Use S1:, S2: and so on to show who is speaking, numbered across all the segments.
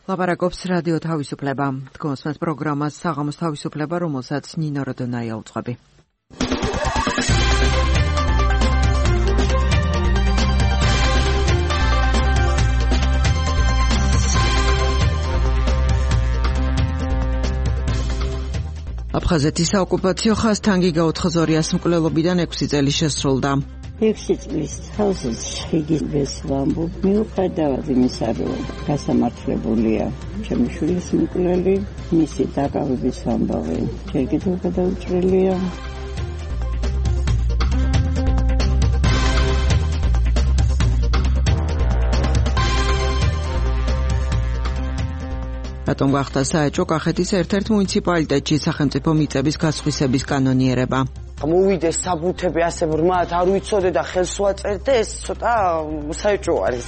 S1: ლაპარაკობს რადიო თავისუფლება. თქვენს პროგრამას საღამოს თავისუფლება, რომელსაც ნინო როდონაია უძღვები. აფხაზეთის საოკუპაციო ხაზთანგი გაუთხაზორიას მკვლელობიდან 6 წელი შესრულდა.
S2: 6 წლის თავზეც შეგიძლიათ ვამბობ, მიუხედავად იმისა, რომ გასამართლებულია ჩემი შვილის მკვლელი, მისი დაკავების ამბავი ჯერ კიდევ გადაუჭრელია.
S1: რატომ გახდა საეჭვო კახეთის ერთ-ერთ მუნიციპალიტეტში სახელმწიფო მიწების გასხვისების კანონიერება?
S3: მოვიდეს საბუთები ასე ბრმად არ ვიცოდე და ხელს ვაწერდე, ეს ცოტა საეჭვო არის.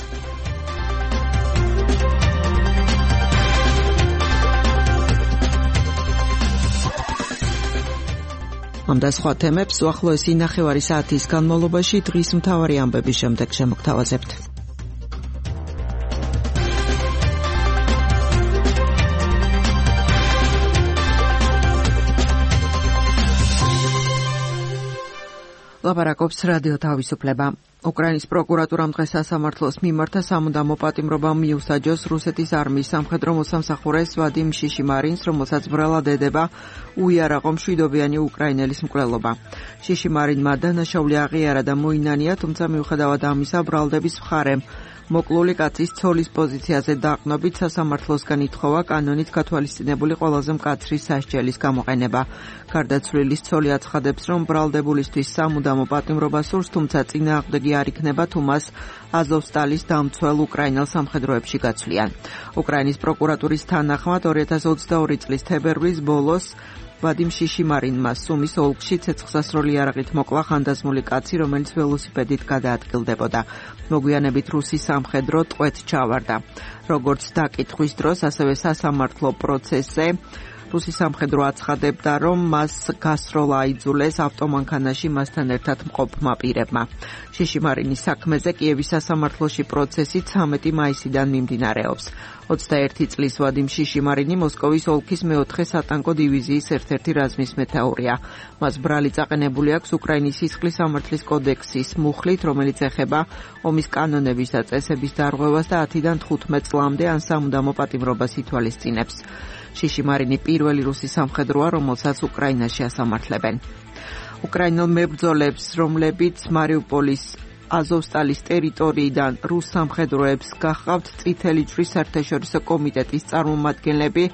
S1: ამ და სხვა თემებს უახლოესი 9 საათის განმავლობაში დღის მთავარი ამბების შემდეგ შემოგთავაზებთ. ლაპარაკობს რადიო თავისუფლება. უკრაინის პროკურატურამ დღეს სასამართლოს მიმართა სამუდამო პატიმრობა მიუსაჯოს რუსეთის არმიის სამხედრო მოსამსახურეს ვადიმ შიშიმარინს, რომელსაც ბრალად ედება უიარაღო მშვიდობიანი უკრაინელის მკვლელობა. შიშიმარინმა დანაშაული აღიარა და მოინანია, თუმცა მიუხედავად ამისა ბრალდების მხარემ მოკლული კაცის ცოლის პოზიციაზე დაყნობით სასამართლოსგან ითხოვა კანონით გათვალისწინებული ყველაზე მკაცრი სასჯელის გამოყენება. გარდაცვლილის ცოლი აცხადებს, რომ ბრალდებულისთვის სამუდამო პატიმრობა სურს, თუმცა წინააღმდეგი არ იქნება, თუ მას აზოვსტალის დამცველ უკრაინელ სამხედროებში გაცვლიან. უკრაინის პროკურატურის თანახმად 2022 წლის თებერვლის ბოლოს ვადიმ შიშიმარინმა სუმის ოლქში ცეცხლსასროლი იარაღით მოკლა ხანდაზმული კაცი, რომელიც ველოსიპედით გადაადგილდებოდა. მოგვიანებით რუსი სამხედრო ტყვედ ჩავარდა. როგორც დაკითხვის დროს, ასევე სასამართლო პროცესზე რუსი სამხედრო აცხადებდა, რომ მას გასროლა აიძულეს ავტომანქანაში მასთან ერთად მყოფმა პირებმა. შიშიმარინის საქმეზე კიევის სასამართლოში პროცესი 13 მაისიდან მიმდინარეობს. 21 წლის ვადიმ შიშიმარინი მოსკოვის ოლქის მეოთხე სატანკო დივიზიის ერთ-ერთი რაზმის მეთაურია. მას ბრალი წაყენებული აქვს უკრაინის სისხლის სამართლის კოდექსის მუხლით, რომელიც ეხება ომის კანონების და წესების დარღვევას და 10-დან 15 წლამდე ან სამუდამო პატიმრობას ითვალისწინებს. შიშიმარინი პირველი რუსი სამხედროა, რომელსაც უკრაინაში ასამართლებენ. უკრაინელ მებრძოლებს, რომლებიც მარიუპოლის აზოვსტალის ტერიტორიიდან რუს სამხედროებს გახავთ, წითელი ჯვრის საერთაშორისო კომიტეტის წარმომადგენლები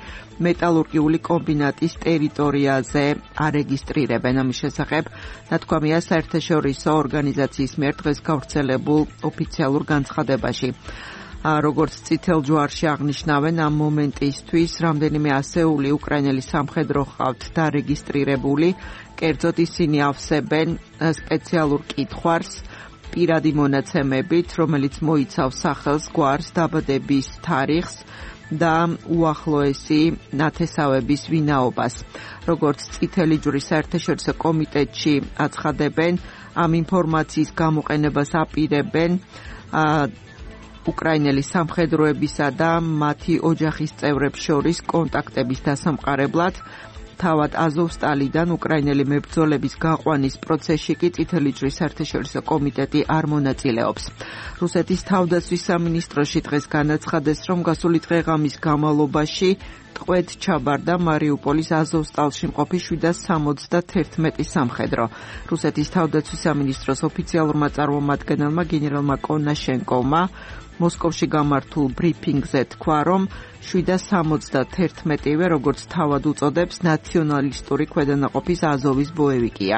S1: მეტალურგიული კომბინატის ტერიტორიაზე არეგისტრირებენ. ამის შესახებ ნათქვამია საერთაშორისო ორგანიზაციის მიერ დღეს გავრცელებულ ოფიციალურ განცხადებაში. როგორც წითელ ჯვარში აღნიშნავენ, ამ მომენტისთვის რამდენიმე ასეული უკრაინელი სამხედრო ჰყავთ დარეგისტრირებული, კერძოდ ისინი ავსებენ სპეციალურ კითხვარს პირადი მონაცემებით, რომელიც მოიცავს სახელს, გვარს, დაბადების თარიღს და უახლოესი ნათესავების ვინაობას. როგორც წითელი ჯვრის საერთაშორისო კომიტეტში აცხადებენ, ამ ინფორმაციის გამოყენებას აპირებენ უკრაინელი სამხედროებისა და მათი ოჯახის წევრებს შორის კონტაქტების დასამყარებლად. თავად აზოვსტალიდან უკრაინელი მებრძოლების გაყვანის პროცესში კი წითელი ჯვრის საერთაშორისო კომიტეტი არ მონაწილეობს. რუსეთის თავდაცვის სამინისტროში დღეს განაცხადეს, რომ გასული დღეღამის განმავლობაში ტყვედ ჩაბარდა მარიუპოლის აზოვსტალში მყოფი 771 სამხედრო. რუსეთის თავდაცვის სამინისტროს ოფიციალურმა წარმომადგენელმა გენერალმა კონაშენკოვმა მოსკოვში გამართულ ბრიფინგზე თქვა, რომ 771-ვე, როგორც თავად უწოდებს, ნაციონალისტური ქვედანაყოფის აზოვის ბოევიკია.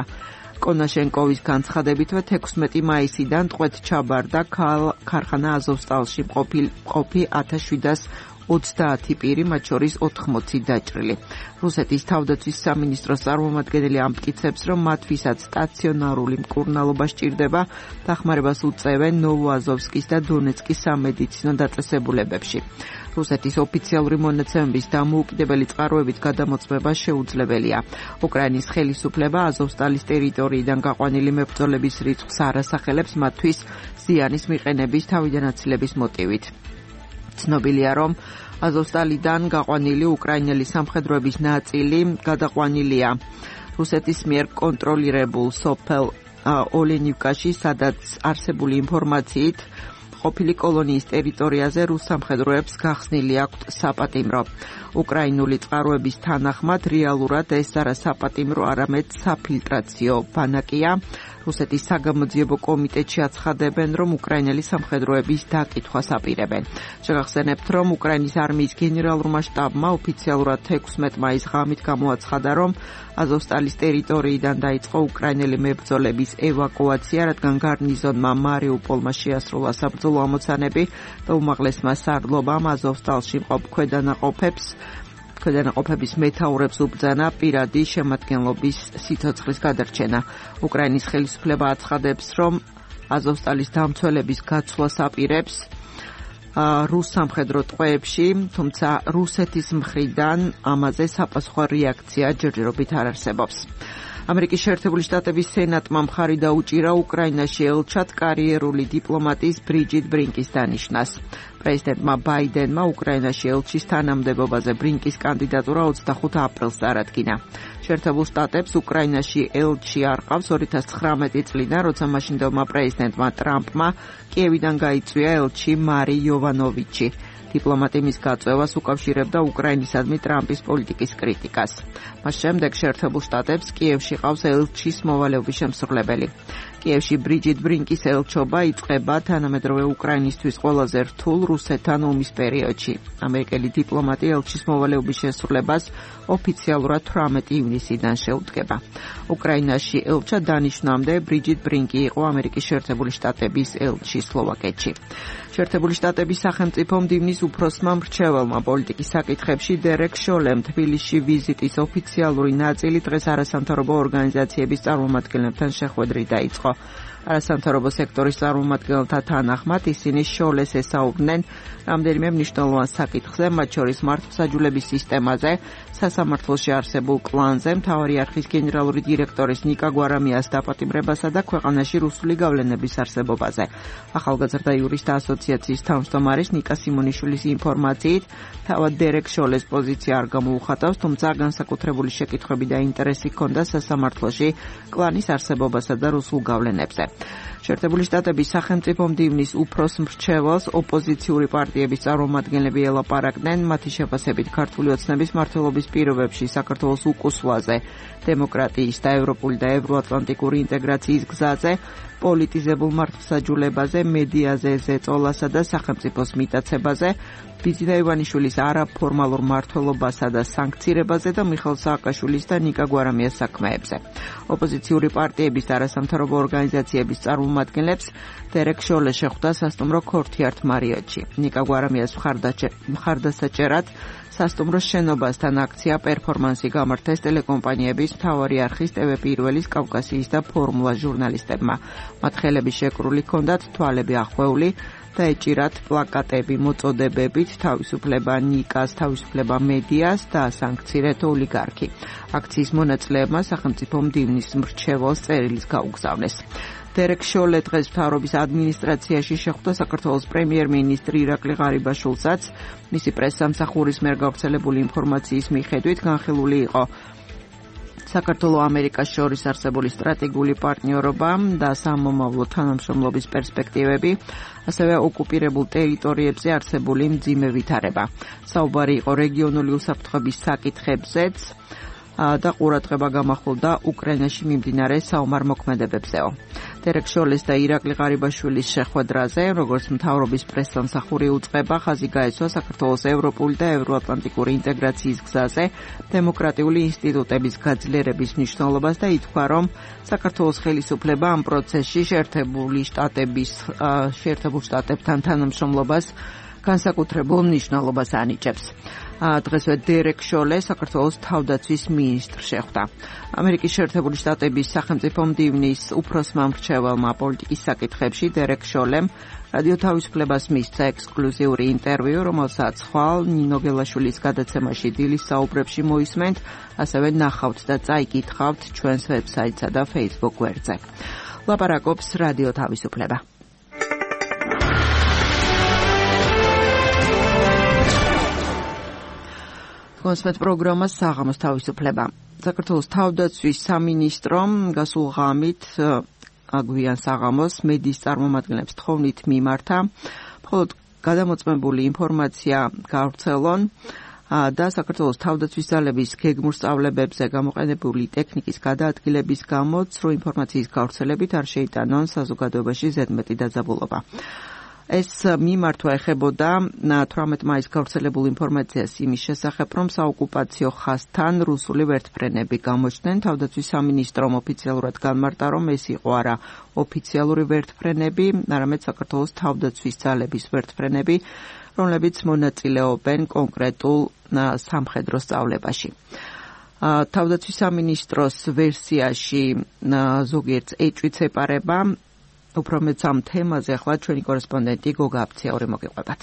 S1: კონაშენკოვის განცხადებითვე 16 მაისიდან ტყვედ ჩაბარდა ქარხანა აზოვსტალში მყოფი 1720 პირი, მათ შორის 80 დაჭრილი. რუსეთის თავდაცვის სამინისტროს წარმომადგენელი ამტკიცებს, რომ მათთვისაც სტაციონარული მკურნალობა სჭირდება, დახმარებას უწევენ ნოვოაზოვსკის და დონეცკის სამედიცინო დაწესებულებებში. რუსეთის ოფიციალური მონაცემების დამოუკიდებელი წყაროებით გადამოწმება შეუძლებელია. უკრაინის ხელისუფლება აზოვსტალის ტერიტორიიდან გაყვანილი მებრძოლების რიცხვს არ ასახელებს მათთვის ზიანის მიყენების თავიდან აცილების მოტივით. ცნობილია, რომ აზოვსტალიდან გაყვანილი უკრაინელი სამხედროების ნაწილი გადაყვანილია რუსეთის მიერ კონტროლირებულ სოფელ ოლენივკაში, სადაც არსებული ინფორმაციით ყოფილი კოლონიის ტერიტორიაზე რუს სამხედროებს გახსნილი აქვთ საპატიმრო. უკრაინული წყაროების თანახმად რეალურად ეს არა საპატიმრო, არამედ საფილტრაციო ბანაკია. რუსეთის საგამოძიებო კომიტეტში აცხადებენ, რომ უკრაინელი სამხედროების დაკითხვას აპირებენ. შეგახსენებთ, რომ უკრაინის არმიის გენერალურმა შტაბმა ოფიციალურად 16 მაისს ღამით გამოაცხადა, რომ აზოვსტალის ტერიტორიიდან დაიწყო უკრაინელი მებრძოლების ევაკუაცია, რადგან გარნიზონმა მარიუპოლმა შეასრულა საბრძოლო ამოცანები და უმაღლესმა სარდლობამ აზოვსტალში მყოფ ქვედანაყოფების მეთაურებს უბრძანა პირადი შემადგენლობის სიცოცხლის გადარჩენა. უკრაინის ხელისუფლება აცხადებს, რომ აზოვსტალის დამცველების გაცვლას აპირებს რუს სამხედრო ტყვეებში, თუმცა რუსეთის მხრიდან ამაზე საპასუხო რეაქცია ჯერჯერობით არ არსებობს. ამერიკის შეერთებული შტატების სენატმა მხარი დაუჭირა უკრაინაში ელჩად კარიერული დიპლომატის ბრიჯიტ ბრინკის დანიშვნას. პრეზიდენტმა ბაიდენმა უკრაინაში ელჩის თანამდებობაზე ბრინკის კანდიდატურა 25 აპრილს წარადგინა. შეერთებულ შტატებს უკრაინაში ელჩი არ ყავს 2019 წლიდან, როცა მაშინდელმა პრეზიდენტმა ტრამპმა კიევიდან გაიწვია ელჩი მარი იოვანოვიჩი. დიპლომატი მის გაწევას უკავშირებდა უკრაინისადმი ტრამპის პოლიტიკის კრიტიკას. მას შემდეგ შეერთებულ შტატებს კიევში ყავს ელჩის მოვალეობის შემსრულებელი. კიევში ბრიჯიტ ბრინკის ელჩობა იწყება თანამედროვე უკრაინისთვის ყველაზე რთულ რუსეთთან ომის პერიოდში. ამერიკელი დიპლომატი ელჩის მოვალეობის შესრულებას ოფიციალურად 18 ივნისიდან შეუდგება. უკრაინაში ელჩად დანიშვნამდე ბრიჯიტ ბრინკი იყო ამერიკის შეერთებული შტატების ელჩი სლოვაკეთში. შეერთებული შტატების სახელმწიფო მდივნის უფროსმა მრჩეველმა პოლიტიკის საკითხებში დერეკ შოლემ თბილისში ვიზიტის ოფიციალური ნაწილი დღეს არასამთავრობო ორგანიზაციების წარმომადგენლებთან შეხვედრით დაიწყო. არასამთავრობო სექტორის წარმომადგენელთა თანახმად ისინი შოლეს ესაუბრნენ რამდენიმე მნიშვნელოვან საკითხზე, მათ შორის მართლმსაჯულების სისტემაზე, სასამართლოში არსებულ კლანზე, მთავარი არქის გენერალური დირექტორის ნიკა გვარამიას დაპატიმრებასა და ქვეყანაში რუსული გავლენების არსებობაზე. ახალგაზრდა იურისტთა ასოციაციის თავმჯდომარის ნიკა სიმონიშვილის ინფორმაციით, თავად დერეკ შოლეს პოზიცია არ გამოუხატავს, თუმცა განსაკუთრებული შეკითხვები და ინტერესი ჰქონდა სასამართლოში კლანის არსებობასა და რუსულ გავლენებზე. შეერთებული შტატების სახელმწიფო მდივნის უფროს მრჩეველს ოპოზიციური პარტიების წარმომადგენლები ელაპარაკდნენ მათი შეფასებით ქართული ოცნების მმართველობის პირობებში საქართველოს უკუსვლაზე, დემოკრატიის და ევროპული და ევროატლანტიკური ინტეგრაციის გზაზე, პოლიტიზებულ მართლმსაჯულებაზე, მედიაზე, ზეწოლასა და სახელმწიფოს მიტაცებაზე, ბიძინა ივანიშვილის არაფორმალურ მმართველობასა და სანქცირებაზე და მიხეილ სააკაშვილის და ნიკა გვარამიას საქმეებზე. ოპოზიციური პარტიების და არასამთავრობო ორგანიზაციების წარმომადგენლებს დერეკ შოლე შეხვდა სასტუმრო ქორთიართ მარიოტში. ნიკა გვარამიას მხარდასაჭერად სასტუმროს შენობასთან აქცია პერფორმანსი გამართეს ტელეკომპანიების მთავარი არხის TV1-ის, კავკასიის და ფორმულა ჟურნალისტებმა. მათ ხელები შეკრული ჰქონდათ თვალები ახვეული და ეჭირათ პლაკატები მოწოდებებით თავისუფლება ნიკას, თავისუფლება მედიას და სანქცირეთ ოლიგარქი. აქციის მონაწილეებმა სახელმწიფო მდივნის მრჩეველს წერილის გაუგზავნეს. დერეკ შოლე დღეს მთავრობის ადმინისტრაციაში შეხვდა საქართველოს პრემიერ-მინისტრი ირაკლი ღარიბაშვილსაც. მისი პრესსამსახურის მიერ გავრცელებული ინფორმაციის მიხედვით განხილული იყო საქართველოს-ამერიკას შორის არსებული სტრატეგიული პარტნიორობა და სამომავლო თანამშრომლობის პერსპექტივები, ასევე ოკუპირებულ ტერიტორიებზე არსებული მძიმე ვითარება. საუბარი იყო რეგიონული უსაფრთხოების საკითხებზეც და ყურადღება გამახვილდა უკრაინაში მიმდინარე საომარ მოქმედებებზეო. დერეკ შოლეს და ირაკლი ღარიბაშვილის შეხვედრაზე, როგორც მთავრობის პრესსამსახური უწყება, ხაზი გაეცვა საქართველოს ევროპული და ევროატლანტიკური ინტეგრაციის გზაზე დემოკრატიული ინსტიტუტების გაძლიერების მნიშვნელობას და ითქვა, რომ საქართველოს ხელისუფლება ამ პროცესში შეერთებულ შტატებთან თანამშრომლობას განსაკუთრებულ მნიშვნელობას ანიჭებს. დღესვე დერეკ შოლე საქართველოს თავდაცვის მინისტრს შეხვდა. ამერიკის შეერთებული შტატების სახელმწიფო მდივნის უფროსმა მრჩეველმა პოლიტიკის საკითხებში დერეკ შოლემ რადიო თავისუფლებას მისცა ექსკლუზიური ინტერვიუ, რომელსაც ხვალ ნინო გელაშვილის გადაცემაში დილის საუბრებში მოისმენთ, ასევე ნახავთ და წაიკითხავთ ჩვენს ვებსაიტსა და Facebook გვერდზე. ლაპარაკობს რადიო თავისუფლება. კონსმეთ პროგრამა საღამოს თავისუფლება. საქართველოს თავდაცვის სამინისტრომ გასულ ღამით აგვიან საღამოს მედიის წარმომადგენლებს თხოვნით მიმართა, მხოლოდ გადამოწმებული ინფორმაცია გავრცელონ და საქართველოს თავდაცვის ძალების გეგმურ სწავლებებზე გამოყენებული ტექნიკის გადაადგილების გამო ცრუ ინფორმაციის გავრცელებით არ შეიტანონ საზოგადოებაში ზედმეტი დაძაბულობა. ეს მიმართვა ეხებოდა 18 მაისს გავრცელებულ ინფორმაციას იმის შესახებ, რომ საოკუპაციო ხაზთან რუსული ვერტმფრენები გამოჩნდნენ. თავდაცვის სამინისტრომ ოფიციალურად განმარტა, რომ ეს იყო არა ოფიციალური ვერტმფრენები, არამედ საქართველოს თავდაცვის ძალების ვერტმფრენები, რომლებიც მონაწილეობენ კონკრეტულ სამხედრო სწავლებაში. თავდაცვის სამინისტროს ვერსიაში ზოგიერთს ეჭვიც ეპარება. უფრო მეც ამ თემაზე ახლა ჩვენი კორესპონდენტი გოგა აფციაური მოგიყვებათ.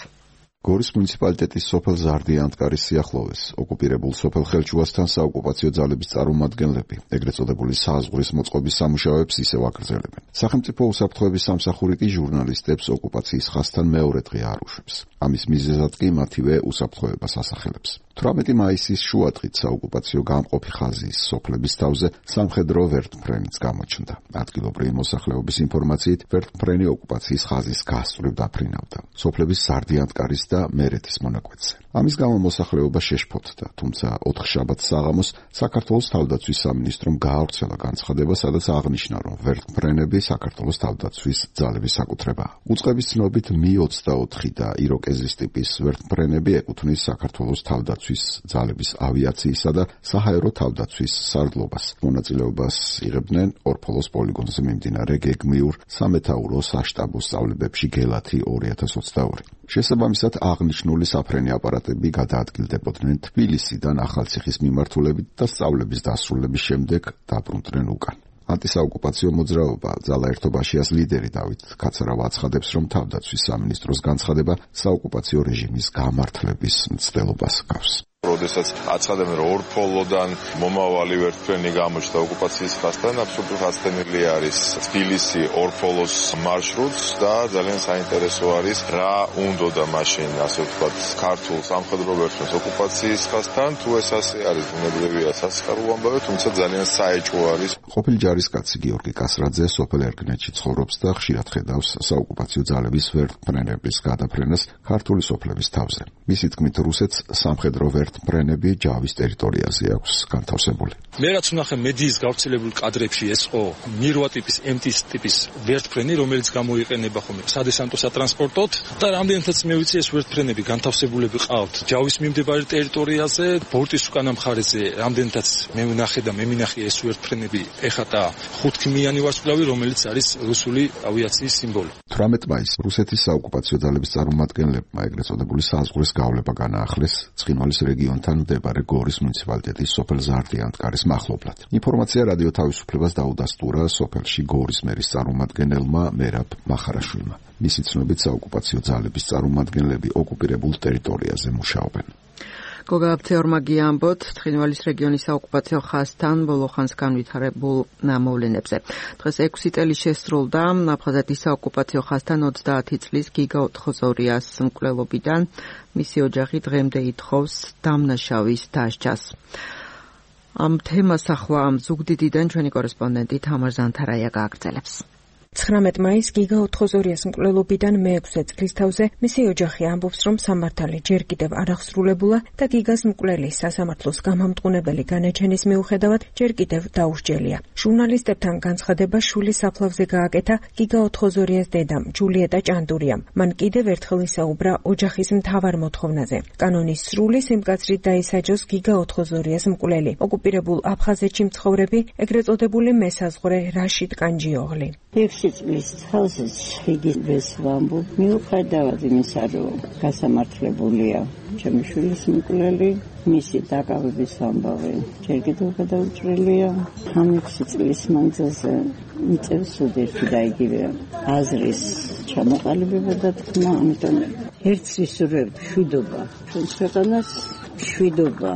S4: გორის მუნიციპალიტეტის სოფელ ზარდიან-ანტკარის სიახლოვეს ოკუპირებულ სოფელ ხელჩუასთან საოკუპაციო ძალების წარმომადგენლები ეგრეთ წოდებული საზღვრის მოწყობის სამუშაოებს ისევ აგრძელებენ. სახელმწიფო უსაფრთხოების სამსახური კი ჟურნალისტებს ოკუპაციის ხაზთან მეორე დღე არ უშვებს. ამის მიზეზად კი მათივე უსაფრთხოებას ასახელებს. 18 მაისის შუადღით საოკუპაციო გამყოფი ხაზის სოფლების თავზე სამხედრო ვერტმფრენიც გამოჩნდა. ადგილობრივი მოსახლეობის ინფორმაციით ვერტმფრენი ოკუპაციის ხაზის გასწვრივ დაფრინავდა. სოფლების ზარდიან-ანტკარის და მერეთის მონაკვეთზე. ამის გამო მოსახლეობა შეშფოთდა, თუმცა 4 შაბათს საღამოს საქართველოს თავდაცვის სამინისტრომ გაავრცელა განცხადება, სადაც აღნიშნა, რომ ვერტმფრენები საქართველოს თავდაცვის ძალების საკუთრებაა. უწყების ცნობით Mi-24 და იროკეზის ტიპის ვერტმფრენები ეკუთვნის საქართველოს თავდაცვის ძალების ავიაციისა და საჰაერო თავდაცვის სარდლობას. მონაწილეობას იღებდნენ ორფოლოს პოლიგონზე მიმდინარე გეგმიურ სამეთაურო საშტაბო სწავლებებში გელათი 2022. შესაბამისად აღნიშნული საფრენი აპარატები გადაადგილდებოდნენ თბილისიდან ახალციხის მიმართულებით და სწავლების დასრულების შემდეგ დაბრუნდნენ უკან. ანტისაოკუპაციო მოძრაობა ძალაერთობაშიას ლიდერი დავით კაცარავა აცხადებს, რომ თავდაცვის სამინისტროს განცხადება საოკუპაციო რეჟიმის გამართლების მცდელობას ჰგავს.
S5: როდესაც აცხადებენ, რომ ორფოლოდან მომავალი ვერტმფრენი გამოჩნდა ოკუპაციის ხაზთან, აბსოლუტურად გასცდენილი არის თბილისი ორფოლოს მარშრუტს და ძალიან საინტერესო არის რა უნდოდა მაშინ, ასე ვთქვათ, ქართულ სამხედრო ვერტმფრენს ოკუპაციის ხაზთან, თუ ეს ასე არის, ბუნებრივია სასიხარულო ამბავი, თუმცა ძალიან საეჭვო არის.
S4: ყოფილი ჯარისკაცი გიორგი კასრაძე სოფელ ერგნეთში ცხოვრობს და ხშირად ხედავს საოკუპაციო ძალების ვერტმფრენების გადაფრენას ქართული სოფლების თავზე. მისი თქმით, რუსეთს სამხედრო ვერტმფრენები ჯავის ტერიტორიაზე აქვს განთავსებული.
S6: მე რაც ვნახე მედიის გავრცელებულ კადრებში ეს ხო მირვა ტიპის MT ტიპის ვერტმფრენი, რომელიც გამოიყენება ხოლმე სადესანტო სატრანსპორტოდ და რამდენადაც მე ვიცი ეს ვერტმფრენები განთავსებულები ყავთ ჯავის მიმდებარე ტერიტორიაზე, ბორტის უკანა მხარეზე რამდენადაც მე ვნახე და მე მინახე ეს ვერტმფრენები ეხატა 5-ქიმიანი ვარსკვლავი, რომელიც არის რუსული ავიაციის სიმბოლო.
S4: 18 მაისს რუსეთის საოკუპაციო ძალების წარმომადგენლებმა ეგრეთ წოდებული საზღვრის გავლება განაახლეს ცხინვალის რეგიონთან მდებარე გორის მუნიციპალიტეტის სოფელ ზარდიან-ანტკარის მახლობლად. ინფორმაცია რადიო თავისუფლებას დაუდასტურა სოფელში გორის მერის წარმომადგენელმა მერაბ მახარაშვილმა. მისი ცნობით საოკუპაციო ძალების წარმომადგენლები ოკუპირებულ ტერიტორიაზე მუშაობენ.
S1: გოგა აფციაურმა გიამბოთ ცხინვალის რეგიონის საოკუპაციო ხაზთან ბოლოხანს განვითარებულ მოვლენებზე. დღეს 6 წელი შესრულდა აფხაზეთის საოკუპაციო ხაზთან 30 წლის გიგა ოთხოზორიას მკვლელობიდან. მისი ოჯახი დღემდე ითხოვს დამნაშავის დასჯას. ამ თემას ახლა ზუგდიდიდან ჩვენი კორესპონდენტი თამარ ზანთარაია გააგრძელებს.
S7: 19 მაისს გიგა ოთხოზორიას მკვლელობიდან მე-6 წლის თავზე მისი ოჯახი ამბობს, რომ სამართალი ჯერ კიდევ არ აღსრულებულა და გიგას მკვლელი სასამართლოს გამამტყუნებელი განაჩენის მიუხედავად ჯერ კიდევ დაუსჯელია. ჟურნალისტებთან განცხადება შულის საფლავზე გააკეთა გიგა ოთხოზორიას დედამ ჯულიეტა ჭანდურიამ. მან კიდევ ერთხელ ისაუბრა ოჯახის მთავარ მოთხოვნაზე. კანონის სრული სიმკაცრით დაისაჯოს გიგა ოთხოზორიას მკვლელი. ოკუპირებულ აფხაზეთში მცხოვრები ეგრეთ წოდებული მესაზღვრე რაშიდ კანჯიოღლი.
S2: 6 წლის თავზე შეგიძლიათ ვამბობ, მიუხედავად იმისა, რომ გასამართლებულია ჩემი შვილის მკვლელი, მისი დაკავების ამბავი ჯერ კიდევ გადაუჭრელია. ამ 6 წლის მანძილზე მიწევს უდერში და იგივე აზრის ჩამოყალიბება და თქმა, ამიტომ ერთს ვისურვებთ მშვიდობა. ჩვენს ქვეყანას მშვიდობა.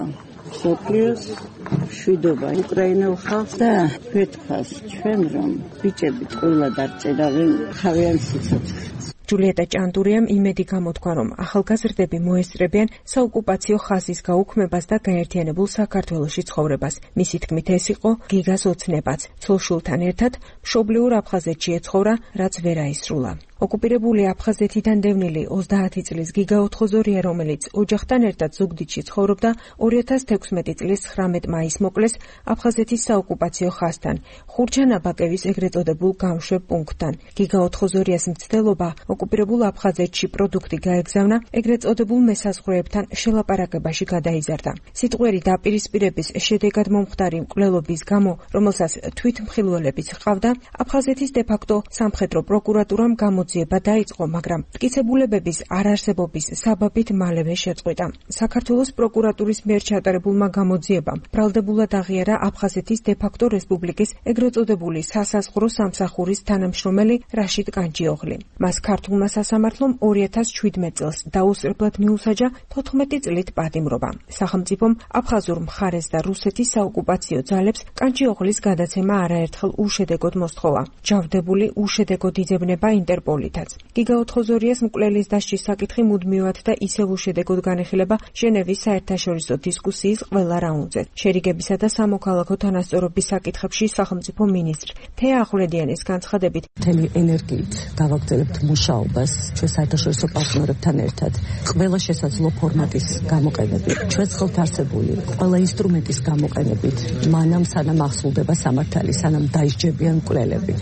S2: სოფლიოს მშვიდობა უკრაინულ ხალხს და ვეთქვას ჩვენ, რომ ბიჭები ყველა დარწერავენ თავიანთ სიცოცხლეს.
S7: ჯულიეტა ჭანდურიამ იმედი გამოთქვა, რომ ახალგაზრდები მოესწრებიან საოკუპაციო ხაზის გაუქმებას და გაერთიანებულ საქართველოში ცხოვრებას. მისი თქმით, ეს იყო გიგას ოცნებაც. ცოლ-შვილთან ერთად მშობლიურ აფხაზეთში ეცხოვრა, რაც ვერ აისრულა. ოკუპირებული აფხაზეთიდან დევნილი 30 წლის გიგა ოთხოზორია, რომელიც ოჯახთან ერთად ზუგდიდში ცხოვრობდა, 2016 წლის 19 მაისს მოკლეს აფხაზეთის საოკუპაციო ხაზთან, ხურჩანაბაკევის ეგრეთ წოდებულ გამშვებ პუნქტთან. გიგა ოთხოზორიას მცდელობა ოკუპირებულ აფხაზეთში პროდუქტი გაეგზავნა, ეგრეთ წოდებულ მესაზღვრეებთან შელაპარაკებაში გადაიზარდა. სიტყვერი დაპირისპირების შედეგად მომხდარი მკვლელობის გამო, რომელსაც თვითმხილველებიც ჰყავდა, აფხაზეთის დე-ფაქტო სამხედრო პროკურატურამ გამოძიება დაიწყო, მაგრამ მტკიცებულებების არარსებობის საბაბით მალევე შეწყვიტა. საქართველოს პროკურატურის მიერ ჩატარებულმა გამოძიებამ ბრალდებულად აღიარა აფხაზეთის დე-ფაქტო რესპუბლიკის ეგრეთ წოდებული სასაზღვრო სამსახურის თანამშრომელი რაშიდ კანჯიოღლი. მას ქართულმა სასამართლომ 2017 წელს დაუსწრებლად მიუსაჯა 14 წლით პატიმრობა. სახელმწიფომ აფხაზურ მხარეს და რუსეთის საოკუპაციო ძალებს კანჯიოღლის გადაცემა არაერთხელ უშედეგოდ მოსთხოვა. ჯავდებული უშედეგოდ იძებნება ინტერპოლითაც. გიგა ოთხოზორიას მკვლელის დასჯის საკითხი მუდმივად და ისევ უშედეგოდ განეხილება ჟენევის საერთაშორისო დისკუსიის ყველა რაუნდზე. შერიგებისა და სამოქალაქო თანასწორობის საკითხებში სახელმწიფო მინისტრ თეა ახვლედიანის განცხადებით,
S8: მთელი ენერგიით გავაგრძელებთ მუშაობას ჩვენ საერთაშორისო პარტნიორებთან ერთად. ყველა შესაძლო ფორმატის გამოყენებით, ჩვენს ხელთ არსებული ყველა ინსტრუმენტის გამოყენებით, მანამ სანამ ახსულდება სამართალი, სანამ დაისჯებიან მკვლელები,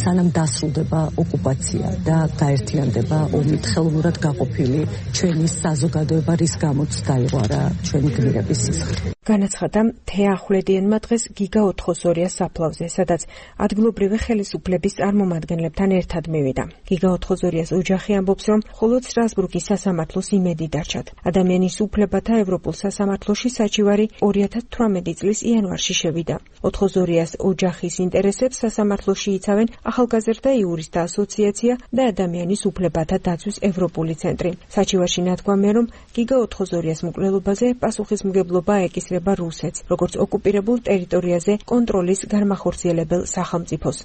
S8: სანამ დასრულდება ოკუპაცია და გაერთიანდება ომით ხელოვნურად გაყოფილი ჩვენი საზოგადოება, რის გამოც დაიღვარა ჩვენი გმირების სისხლი.
S7: განაცხადა თეა ახვლედიანმა დღეს გიგა ოთხოზორიას საფლავზე, სადაც ადგილობრივი ხელისუფლების წარმომადგენლებთან ერთად მივიდა. გიგა ოთხოზორიას ოჯახი ამბობს, რომ მხოლოდ სტრასბურგის სასამართლოს იმედი დარჩათ. ადამიანის უფლებათა ევროპულ სასამართლოში საჩივარი 2018 წლის იანვარში შევიდა. ოთხოზორიას ოჯახის ინტერესებს სასამართლოში იცავენ ახალგაზრდა იურისტთა ასოციაცია და ადამიანის უფლებათა დაცვის ევროპული ცენტრი. საჩივარში ნათქვამია, რომ გიგა ოთხოზორიას მკვლელობაზე პასუხისმგებლობა ეკისრება რუსეთს, როგორც ოკუპირებულ ტერიტორიაზე კონტროლის განმახორციელებელ სახელმწიფოს.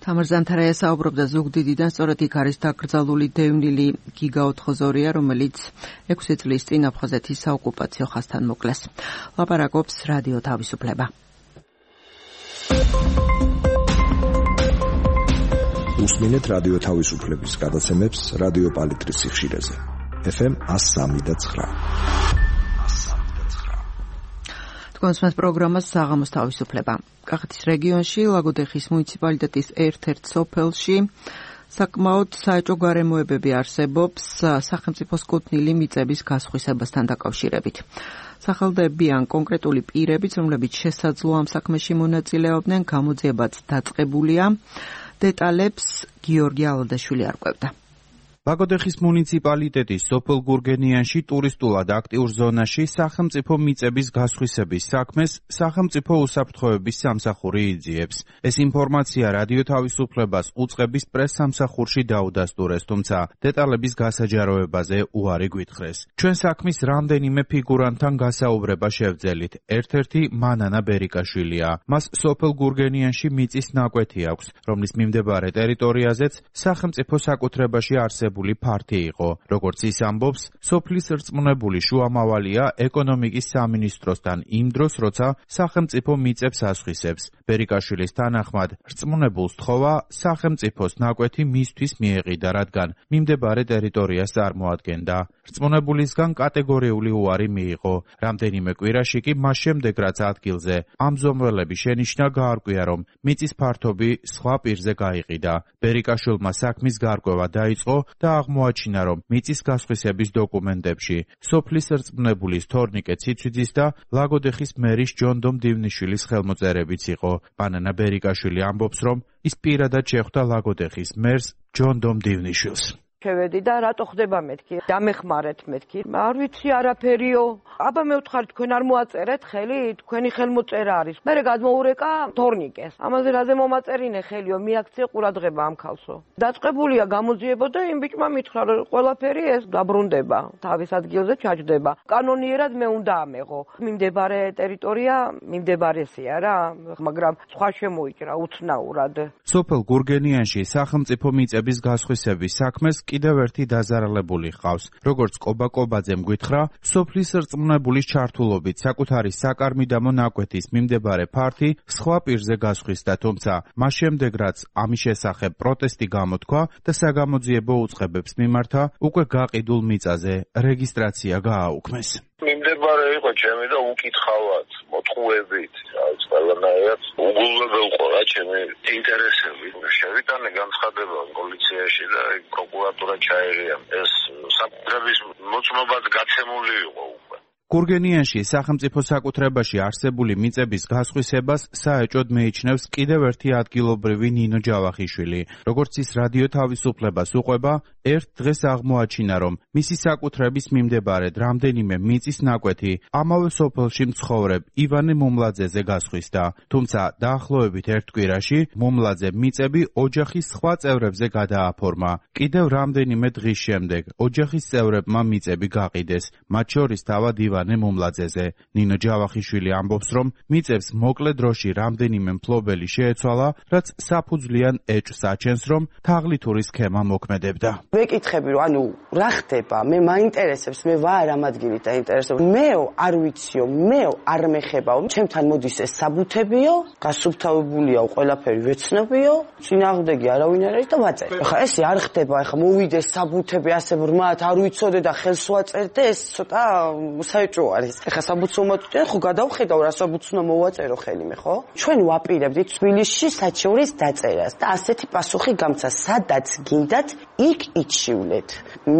S1: თამარ ზანთარაია საუბრობდა ზუგდიდიდან, სწორედ იქ არის დაკრძალული დევნილი გიგა ოთხოზორია, რომელიც 6 წლის წინ აფხაზეთის საოკუპაციო ხაზთან მოკლეს. ლაპარაკობს რადიო თავისუფლება.
S9: უსმინეთ რადიო თავისუფლების გადაცემებს რადიო პალიტრის სიხშირეზე. FM 103.9.
S1: კონსმეს პროგრამას საღამოს თავისუფლება. კახეთის რეგიონში ლაგოდეხის მუნიციპალიტეტის ერთ-ერთ სოფელში საკმაოდ საეჭვო გარემოებები არსებობს სახელმწიფოს კუთვნილი მიწების გასხვისებასთან დაკავშირებით. სახელდები ან კონკრეტული პირებიც, რომლებიც შესაძლოა ამ საქმეში მონაწილეობდნენ, გამოძიებაც დაწყებულია. დეტალებს გიორგი ალადაშვილი არკვევდა.
S10: ლაგოდეხის მუნიციპალიტეტის სოფელ გურგენიანში ტურისტულად აქტიურ ზონაში სახელმწიფო მიწების გასხვისების საქმეს სახელმწიფო უსაფრთხოების სამსახური იძიებს. ეს ინფორმაცია რადიო თავისუფლებას უწყების პრეს-სამსახურში დაუდასტურეს, თუმცა დეტალების გასაჯაროებაზე უარი გვითხრეს. ჩვენ საქმის რამდენიმე ფიგურანტთან გასაუბრება შევძელით. ერთ-ერთი მანანა ბერიკაშვილია. მას სოფელ გურგენიანში მიწის ნაკვეთი აქვს, რომლის მიმდებარე ტერიტორიაზეც სახელმწიფო საკუთრებაში არსებული ფართი იყო. როგორც ის ამბობს, სოფლის რწმუნებული შუამავალია ეკონომიკის სამინისტროსთან იმ დროს, როცა სახელმწიფო მიწებს ასხვისებს. ბერიკაშვილის თანახმად, რწმუნებულს თხოვა სახელმწიფოს ნაკვეთი მისთვის მიეყიდა, რადგან მიმდებარე ტერიტორიას წარმოადგენდა. რწმუნებულისგან კატეგორიული უარი მიიღო. რამდენიმე კვირაში კი მას შემდეგ, რაც ადგილზე ამზომველები შენიშნა, გაარკვია, რომ მიწის ფართობი სხვა პირზე გაიყიდა. ბერიკაშვილმა საქმის გარკვევა დაიწყო და აღმოაჩინა, რომ მიწის გასხვისების დოკუმენტებში სოფლის რწმუნებულის თორნიკე ციცვიძის და ლაგოდეხის მერის ჯონდომ დივნიშვილის ხელმოწერებიც იყო. მანანა ბერიკაშვილი ამბობს, რომ ის პირადად შეხვდა ლაგოდეხის მერს ჯონდომ დივნიშვილს.
S11: შევედი და რატო ხდება მეთქი? დამეხმარეთ მეთქი. არ ვიცი არაფერიო. აბა მე ვთხარი თქვენ არ მოაწერეთ ხელი, თქვენი ხელმოწერა არის. მერე გადმოურეკა თორნიკეს. ამაზე რაზე მომაწერინე ხელიო, მიაქცია ყურადღება ამ ქალსო. დაწყებულია გამოძიება და იმ ბიჭმა მითხრა რომ ყველაფერი ეს დაბრუნდება, თავის ადგილზე ჩაჯდება. კანონიერად მე უნდა ამეღო. მიმდებარე ტერიტორია მიმდებარესია რა, მაგრამ სხვა შემოიჭრა უცნაურად.
S10: სოფელ გურგენიანში სახელმწიფო მიწების გასხვისების საქმეს კიდევ ერთი დაზარალებული ჰყავს. როგორც კობაკობაძემ გითხრა, სოფლის რწმუნებულის ჩართულობით საკუთარი საკარმიდამო ნაკვეთის მიმდებარე ფართი სხვა პირზე გასხვისდა, თუმცა მას შემდეგ რაც ამის შესახებ პროტესტი გამოთქვა და საგამოძიებო უწყებებს მიმართა, უკვე გაყიდულ მიწაზე რეგისტრაცია გააუქმეს.
S12: მიმდებარე იყო ჩემი და უკითხავად, მოთხოვებით, რაც ყველანაირად უგულებელ ყო რა ჩემი ინტერესები. შევიტანე განცხადება პოლიციაში და პროკურატურა ჩაერია. ეს საკუთრების მოწმობად გაცემული იყო უკვე.
S10: გურგენიანში სახელმწიფო საკუთრებაში არსებული მიწების გასხვისებას საეჭოდ მეიჩნევს კიდევ ერთი ადგილობრივი ნინო ჯავახიშვილი. როგორც ის რადიო თავისუფლებას უყვება, ერთ დღეს აღმოაჩინა, რომ მისი საკუთრების მიმდებარედ რამდენიმე მიწის ნაკვეთი ამავე სოფელში მცხოვრებ ივანე მომლაძეზე გასხვისდა. თუმცა დაახლოებით ერთ კვირაში მომლაძე მიწები ოჯახის სხვა წევრებზე გადააფორმა. კიდევ რამდენიმე დღის შემდეგ ოჯახის წევრებმა მიწები გაყიდეს, მათ შორის თავად ივანე მომლაძეზე. ნინო ჯავახიშვილი ამბობს, რომ მიწებს მოკლე დროში რამდენიმე მფლობელი შეეცვალა, რაც საფუძვლიან ეჭვს აჩენს, რომ თაღლითური სქემა მოქმედებდა.
S3: ვეკითხები, რომ ანუ რა ხდება? მე მაინტერესებს, მე ვარ ამ ადგილით დაინტერესებული. მეო არ ვიციო, მეო არ მეხებაო. ჩემთან მოდის ეს საბუთებიო, გასუფთავებულია ყველაფერი ვეცნობიო, წინააღმდეგი არავინ არ არის და ვაწერ. ახლა ესე არ ხდება, ახლა მოვიდეს საბუთები ასე ბრმად, არ ვიცოდე და ხელს ვაწერდე, ეს ცოტა საეჭვო არის. ახლა საბუთს მომაწვდენ, ხო გადავხედავ რა საბუთს უნდა მოვაწერო ხელიმე, ხო? ჩვენ ვაპირებდით თბილისში საჩევრის დაწერას და ასეთი პასუხი გამცა, სადაც გინდათ, იქ იჩივლეთ.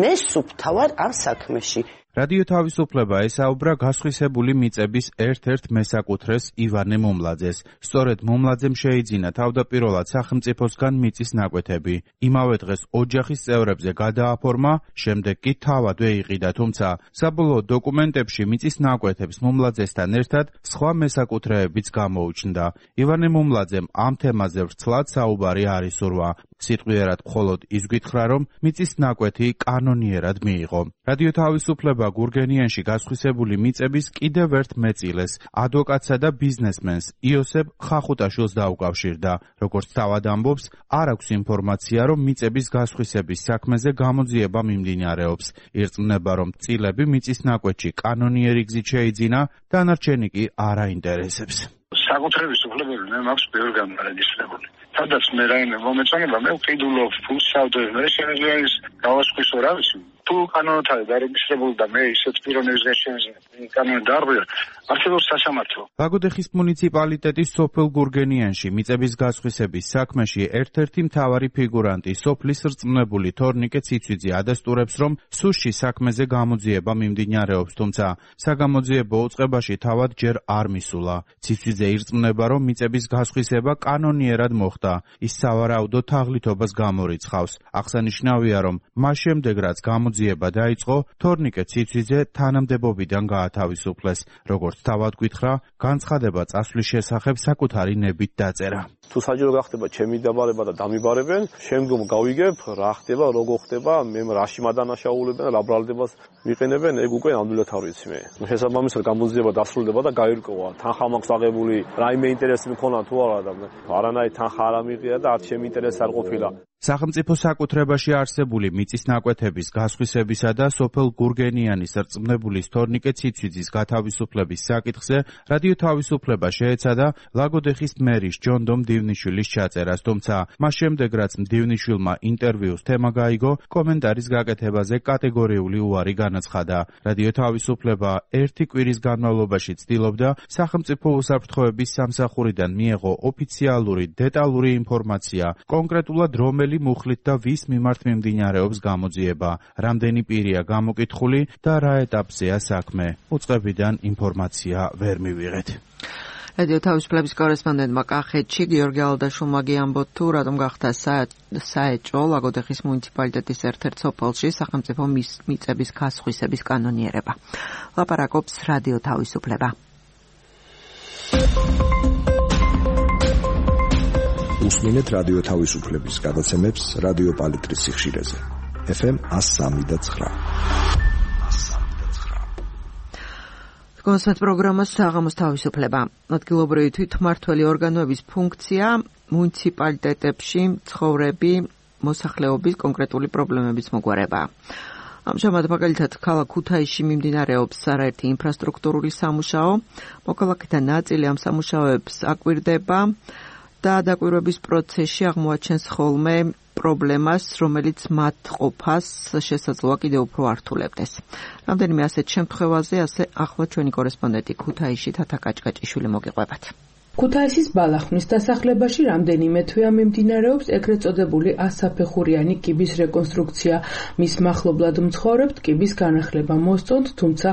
S3: მე სუფთავარ ამ საქმეში.
S10: რადიო თავისუფლება ესაუბრა გასხვისებული მიწების ერთ-ერთ მესაკუთრეს ივანე მომლაძეს. სწორედ მომლაძემ შეიძინა თავდაპირველად სახელმწიფოსგან მიწის ნაკვეთები. იმავე დღეს ოჯახის წევრებზე გადააფორმა, შემდეგ კი თავადვე იყიდა, თუმცა საბოლოო დოკუმენტებში მიწის ნაკვეთებს მომლაძესთან ერთად სხვა მესაკუთრეებიც გამოუჩნდა. ივანე მომლაძემ ამ თემაზე ვრცლად საუბარი არ ისურვა. სიტყვიერად მხოლოდ ის გითხრა, რომ მიწის ნაკვეთი კანონიერად მიიღო. რადიო თავისუფლება გურგენიანში გასხვისებული მიწების კიდევ ერთ მეწილეს, ადვოკატსა და ბიზნესმენს იოსებ ხახუტაშვილს დაუკავშირდა. როგორც თავად ამბობს, არ აქვს ინფორმაცია, რომ მიწების გასხვისების საქმეზე გამოძიება მიმდინარეობს. ირწმუნება, რომ წილები მიწის ნაკვეთში კანონიერი გზით შეიძინა, დანარჩენი კი არ აინტერესებს.
S12: საკუთრების უფლებები მე მაქვს ბევრი განარეგისტრირებული. სადაც მე რაიმე მომეწონება, მე ვყიდულობ ფულს სავდე, მე შეიძლება ის გავასხვისო რა ვიცი. თუ კანონად არის დარეგისტრირებული და მე ისეთ პიროვნების გაშენზე კანონი დაარღვია, არსებობს სასამართლო.
S10: ლაგოდეხის მუნიციპალიტეტის სოფელ გურგენიანში მიწების გასხვისების საქმეში ერთ-ერთი მთავარი ფიგურანტი სოფლის რწმუნებული თორნიკე ციცვიძე ადასტურებს, რომ სუსში საქმეზე გამოძიება მიმდინარეობს, თუმცა საგამოძიებო უწყებაში თავად ჯერ არ მისულა. ციცვიძე ირწმუნება, რომ მიწების გასხვისება კანონიერად მოხდა. ის სავარაუდო თაღლითობას გამორიცხავს. აღსანიშნავია, რომ მას შემდეგ რაც გამოძიება დაიწყო, თორნიკე ციცვიძე თანამდებობიდან გაათავისუფლეს. როგორც თავად გითხრა, განცხადება წასვლის შესახებ საკუთარი ნებით დაწერა.
S13: თუ საჯარო გახდება ჩემი დაბარება და დამიბარებენ, შემდგომ გავიგებ რა ხდება, როგორ ხდება, მე რაში მადანაშაულებენ, რა ბრალდებას მიყენებენ, ეგ უკვე ნამდვილად არ ვიცი მე. შესაბამისად გამოძიება დასრულდება და გაირკვევა, თანხა მაქვს აღებული, რაიმე ინტერესი მქონა თუ არა და არანაირი თანხა არ ამიღია და არც ჩემი ინტერესი არ ყოფილა.
S10: სახელმწიფო საკუთრებაში არსებული მიწის ნაკვეთების გასხვისებისა და სოფელ გურგენიანის რწმუნებულის თორნიკე ციცვიძის გათავისუფლების საკითხზე რადიო თავისუფლება შეეცადა ლაგოდეხის მერის ჯონდომ მდივნიშვილის ჩაწერას, თუმცა მას შემდეგ რაც მდივნიშვილმა ინტერვიუს თემა გაიგო, კომენტარის გაკეთებაზე კატეგორიული უარი განაცხადა. რადიო თავისუფლება ერთი კვირის განმავლობაში ცდილობდა სახელმწიფო უსაფრთხოების სამსახურიდან მიეღო ოფიციალური დეტალური ინფორმაცია, კონკრეტულად რომელი მუხლით და ვის მიმართ მიმდინარეობს გამოძიება, რამდენი პირია გამოკითხული და რა ეტაპზეა საქმე. უწყებიდან ინფორმაცია ვერ მივიღეთ.
S1: რადიო თავისუფლების კორესპონდენტმა კახეთში გიორგი ალდაშულმა გიამბო თუ რატომ გახდა საეჭვო ლაგოდეხის მუნიციპალიტეტის ერთ-ერთ სოფელში სახელმწიფო მიწების გასხვისების კანონიერება. ლაპარაკობს რადიო თავისუფლება.
S9: უსმინეთ რადიო თავისუფლების გადაცემებს რადიო პალიტრის სიხშირეზე. FM 103.9.
S1: კონსერტ პროგრამას საღამოს თავისუფლება. ადგილობრივი თვითმმართველი ორგანოების ფუნქცია მუნიციპალიტეტებში ცხოვრები მოსახლეობის კონკრეტული პრობლემების მოგვარებაა. ამჟამად მაგალითად ქალაქ ქუთაისში მიმდინარეობს არაერთი ინფრასტრუქტურული სამუშაო, მოქალაქეთა ნაწილი ამ სამუშაოებს აკვირდება და დაკვირვების პროცესში აღმოაჩენს ხოლმე პრობლემას, რომელიც მათ ყოფას შესაძლოა კიდევ უფრო ართულებდეს. რამდენიმე ასეთ შემთხვევაზე ასე ახლა ჩვენი კორესპონდენტი ქუთაისში თათა კაჭკაჭიშვილი მოგიყვებათ.
S14: ქუთაისის ბალახნის დასახლებაში რამდენიმე თვეა მიმდინარეობს ეგრეთ წოდებული ასაფეხურიანი კიბის რეკონსტრუქცია. მის მახლობლად მცხოვრებთ კიბის განახლება მოსწონთ, თუმცა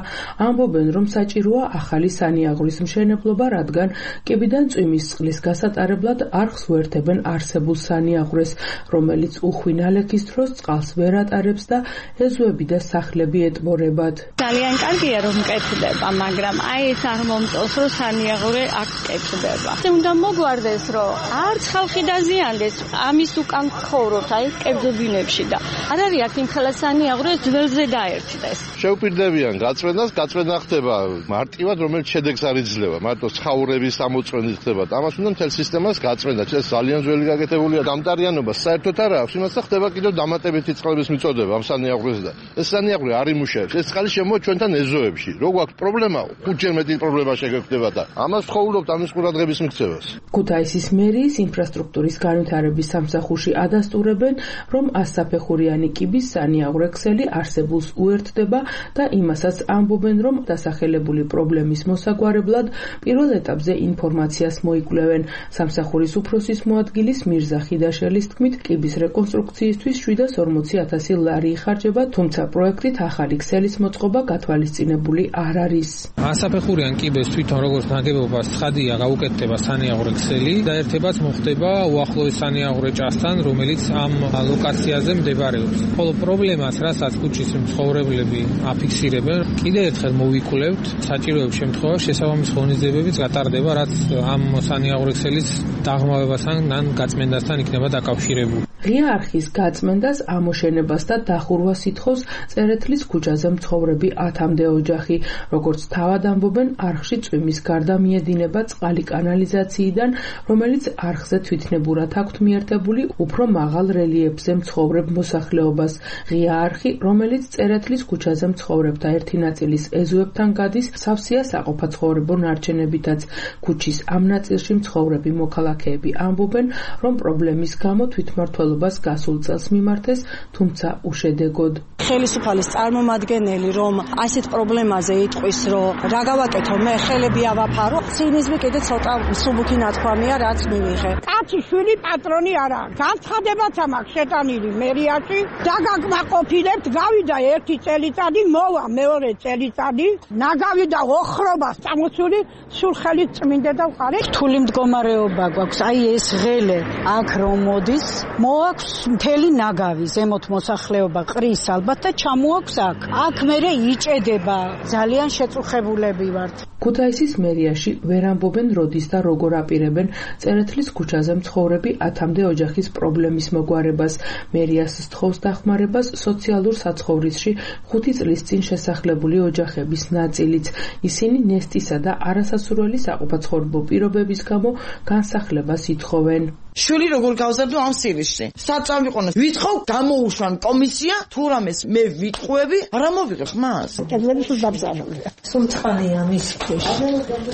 S14: ამბობენ, რომ საჭიროა ახალი სანიაღვრის მშენებლობა, რადგან კიბიდან წვიმის წყლის გასატარებლად არხს უერთებენ არსებულ სანიაღვრეს, რომელიც უხვინალექის დროს წყალს ვერ ატარებს და ეზოები და სახლები ეტბორებად.
S15: ძალიან კარგია რომ მკეთდება, მაგრამ აი ეს არ მომწონს, რომ სანიაღვრე აქ მკეთდება. უნდა მოგვარდეს, რომ არც ხალხი დაზიანდეს, ამის უკან ცხოვრობთ, აი კერძობინებში და არ არის აქ იმ ხელასანი აღროს ძველზე დაერთდეს.
S16: შევპირდებიან გაწმენდას, გაწმენდა ხდება მარტივად, რომელიც შედეგს არ იძლევა, მარტო ცხოვრების ამოწმენით ხდება. ამას უნდა მთელ სისტემას გაწმენდა, ეს ძალიან ძველი გაკეთებულია დამტარიანობა, საერთოდ არ აქვს, იმასთან ხდება კიდევ დამატებითი წყლების მიწოდება ამ სანიაღვრეს და ეს სანიაღვრე არ იმუშავებს. ეს წყალი შემოვა ჩვენთან ეზოებში. რო გვაქვს პრობლემა, 5-ჯერ მეტი პრობლემა შეგექნება და ამას ვხოვულობთ ამის ყურადღების მიქცევას.
S14: ქუთაისის მერიის ინფრასტრუქტურის განვითარების სამსახურში ადასტურებენ, რომ ასაფეხურიანი კიბის სანიაღვრე ქსელი არსებულს უერთდება და იმასაც ამბობენ, რომ დასახელებული პრობლემის მოსაგვარებლად პირველ ეტაპზე ინფორმაციას მოიკვლევენ. სამსახურის უფროსის მოადგილის მირზა ხიდაშელის თქმით, კიბის რეკონსტრუქციისთვის 740,000 ლარი იხარჯება, თუმცა პროექტით ახალი ქსელის მოწყობა გათვალისწინებული არ არის.
S17: ასაფეხურიან კიბეს თვითონ როგორც ნაგებობას ცხადია გაუკეთდება სანიაღვრე ქსელი და ერთებაც მოხდება უახლოეს სანიაღვრე ჭასთან, რომელიც ამ ლოკაციაზე მდებარეობს. ხოლო პრობლემას, რასაც ქუჩის მცხოვრებლები აფიქსირებენ, კიდევ ერთხელ მოვიკვლევთ, საჭიროების შემთხვევაში შესაბამის ღონისძიებებიც გატარდება, რაც ამ სანიაღვრე ქსელის დაღმავებასთან ან გაწმენდასთან იქნება დაკავშირებული.
S14: ღია არხის გაწმენდას, ამოშენებას და დახურვას ითხოვს წერეთლის ქუჩაზე მცხოვრები 10-მდე ოჯახი. როგორც თავად ამბობენ, არხში წვიმის გარდა მიედინება წყალი კანალიზაციიდან, რომელიც არხზე თვითნებურად აქვთ მიერთებული უფრო მაღალ რელიეფზე მცხოვრებ მოსახლეობას. ღია არხი, რომელიც წერეთლის ქუჩაზე მცხოვრებთა ერთი ნაწილის ეზოებთან გადის, სავსეა საყოფაცხოვრებო ნარჩენებითაც. ქუჩის ამ ნაწილში მცხოვრები მოქალაქეები ამბობენ, რომ პრობლემის გამო თვითმმართველობას გასულ წელს მიმართეს, თუმცა უშედეგოდ.
S18: ხელისუფალის წარმომადგენელი რომ ასეთ პრობლემაზე იტყვის, რომ რა გავაკეთო, მე ხელები ავაფარო, ცინიზმი კიდე ცოტა მსუბუქი ნათქვამია, რაც მივიღე.
S19: კაცი შვილი პატრონი არა. განცხადებაც ამაქვს შეტანილი მერიაში, დაგაგმაყოფილებთ, გავიდა ერთი წელიწადი, მოვა მეორე წელიწადი, ნაგავიდა ოხრობას წამოსული, სულ ხელით წმინდა და ვყარე.
S18: რთული მდგომარეობა გვაქვს, აი ეს ღელე აქ რომ მოდის, მოაქვს მთელი ნაგავი, ზემოთ მოსახლეობა ყრის ალბათ და ჩამოაქვს აქ. აქ მერე იჭედება, ძალიან შეწუხებულები ვართ.
S14: ქუთაისის მერიაში ვერ ამბობენ როდის და როგორ აპირებენ წერეთლის ქუჩაზე მცხოვრები 10-მდე ოჯახის პრობლემის მოგვარებას. მერიას სთხოვს დახმარებას სოციალურ საცხოვრისში 5 წლის წინ შესახლებული ოჯახების ნაწილიც. ისინი ნესტისა და არასასურველი საყოფაცხოვრებო პირობების გამო განსახლებას ითხოვენ.
S20: შვილი როგორ გავზარდო ამ სირისში. საწამიყონოს ვითხოვ გამოუშვან კომისია, თუ რამეს მე ვიტყვები, რა მოვიღებ მას?
S19: კედლები სულ დაბზარულია.
S21: სულ წყალია მის ქვეშ.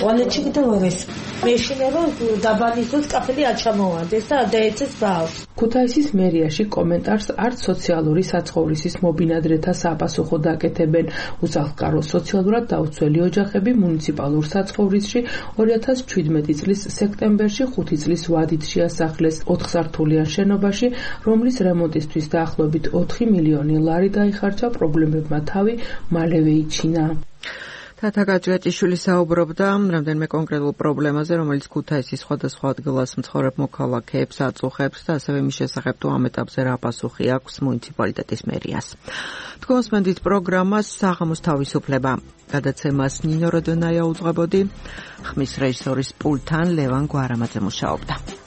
S21: ტუალეტში კიდევ არ ეს. მეშინე რომ დაბალისოს კაფელი აჩამოვარდეს და დაეცეს ბავს.
S14: ქუთაისის მერიაში კომენტარს არც სოციალური საცხოვრისის მობინადრეთა საპასუხო დაკეთებენ. უსახლკარო სოციალურად დაუცველი ოჯახები მუნიციპალურ საცხოვრისში 2017 წლის სექტემბერში 5 წლის ვადით შეასახლეს 4 სართულიან შენობაში, რომლის რემონტისთვის დაახლოებით 4 მილიონი ლარი დაიხარჯა, პრობლემებმა თავი მალევე იჩინა.
S1: თათა გაჯგაჭიშვილი საუბრობდა რამდენიმე კონკრეტულ პრობლემაზე, რომელიც ქუთაისის სხვადასხვა ადგილას მცხოვრებ მოქალაქეებს აწუხებს და ასევე მის შესახებ თუ ამ ეტაპზე რა პასუხი აქვს მუნიციპალიტეტის მერიას. თქვენს მენდით პროგრამას საღამოს თავისუფლება. გადაცემას ნინო როდონაია უძღვებოდი, ხმის რეჟისორის პულტთან ლევან გვარამაძე მუშაობდა.